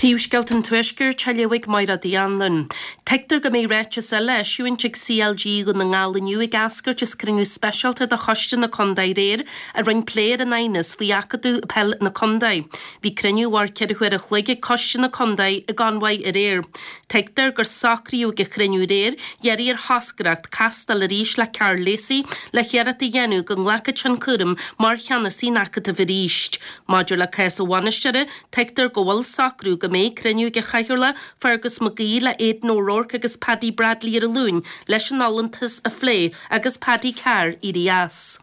Príomhscéalta an Tuaiscirt á léamh ag Máire Uí Anluain. Tuigtear go mbeidh ráiteas eile á eisiúint ag CLG Dhún na nGall inniu ag eascairt as cruinniú speisialta de choiste na contae aréir a rinne plé ar an aighneas faoi acadamh peil na contae. Bhí cruinniú a mhair 4 huaire a chloig ag coiste na contae i gConmhaigh aréir. Tuigtear gur socraíodh ag an chruinniú aréir iarraidh ar thoscaireacht castáil arís le Karl Lacey le hiarracht a dhéanamh go nglacfadh sé an cúram mar cheannasaí an acadaimh arís. Maidir le cás an bhainisteora, Tuigtear go bhfuil socrú go mbeidh cruinniú ag an Chathaoirleach, Fergus McGee le Aidan O'Rourke agus Paddy Bradley ar an Luan leis an fholúntas a phlé agus Paddy Carr éirí as.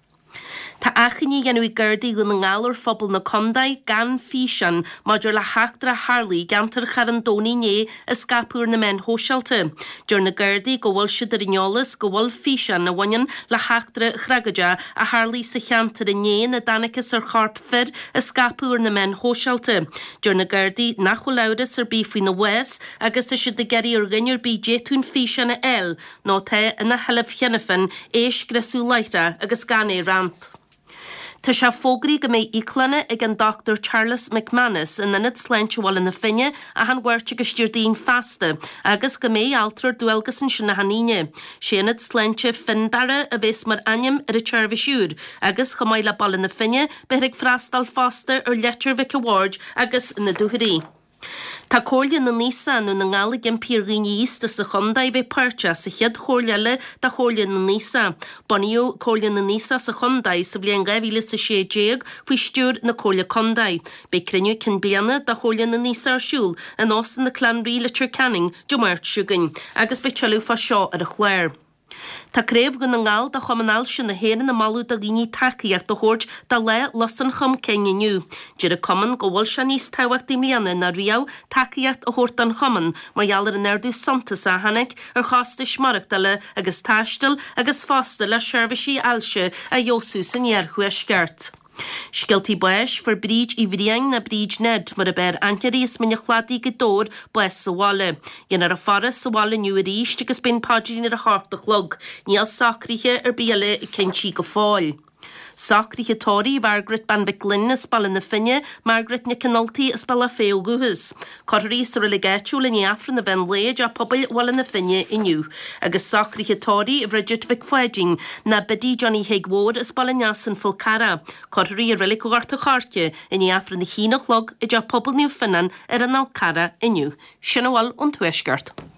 Tá achainí á dhéanamh ag Gardaí Dhún na nGall ar phobal na contae gan físeán maidir le heachtra a tharlaigh i gceantar Charn Domhnaigh inné a scaipeadh ar na meáin shóisialta. Deir na Gardaí go bhfuil siad ar an eolas go bhfuil físeán a bhaineann le heachtra thragóideach a tharlaigh sa cheantar inné ina dtángthas ar chorp fir a scaipeadh ar na meáin shóisialta. Deir na Gardaí nach bhfuil amhras ar bith faoina bhás agus tá siad ag iarraidh ar dhuine ar bith d'fhéadfadh an físeán a fháil nó atá ina sheilbh cheana féin é a scriosadh láithreach agus gan é a roinnt. Tá sé fógraithe go mbeidh íoclanna ag an Dr Charles McManus in Ionad Sláinte Bhaile na Finne achan Mháirt agus Déardaoin feasta agus go mbeidh altra ar dualgas ansin achan Aoine. Sé Ionad Sláinte Fionnbarra a bheas mar ainm ar an tseirbhís úr agus, chomh maith le Baile na Finne, beifear ag freastal fosta ar Leitir Mhic a' Bhaird agus na Dúchoraidh. Tá Comhairle na nAosach i nDún na nGall ag impí ar dhaoine aosta sa chontae a bheith páirteach sa chéad chomhairle eile de Chomhairle na nAosach. Bunaíodh Comhairle na nAosach sa chontae sa bhliain 2016 faoi stiúir na Comhairle Contae. Beidh cruinniú cinn bliana de Chomhairle na nAosach ar siúl in Óstán na Clann Rí, Leitir Ceanainn, Dé Máirt seo chugainn agus beidh tuilleadh fá seo ar an chlár. Tá Craobh Dhún na nGall de Chumann Ailse na hÉireann ag moladh do dhaoine tacaíocht a thabhairt do Lá Lus an Chromchinn inniu. Deir an cumann go bhfuil sé níos tábhachtaí i mbliana ná riamh tacaíocht a thabhairt don chumann mar gheall ar an ardú suntasach a tháinig ar chostais maireachtála agus taistil agus fosta le seirbhísí ailse a fheabhsú san iarthuaisceart. Scéaltaí báis, Fuair Bríd Uí Bhriain, nó Bríd Ned mar ab fhearr aithne uirthi, as Mín an Chladaigh, Gaoth Dobhair, bás sa bhaile. Déanfar a faire sa bhaile inniu arís agus beidh an paidrín ar a hocht a chlog. Níl socruithe ar bith eile cinntí go fóill. Socruithe tórraimh Mhargaret Bean Mhic Gloinn as Baile na Finne, Margaret Nic an Ultaigh as Bealach Féich ó dhúchas. Cuirfear í sa reilig áitiúil i ndiaidh Aifreann an mheán lae i dTeach Pobail Bhaile na Finne inniu. Agus socruithe tórraimh Bhridget Mhic Pháidín, ná Biddy Johnny Thig Mhóir as Baile an Easa An Fál Carrach. Cuirfear í i reilig Ghort a' Choirce i ndiaidh Aifreann a haon a chlog i dTeach Pobail Naomh Fionnán ar an Fhál Carrach inniu. Sin a bhfuil ón Tuaisceart.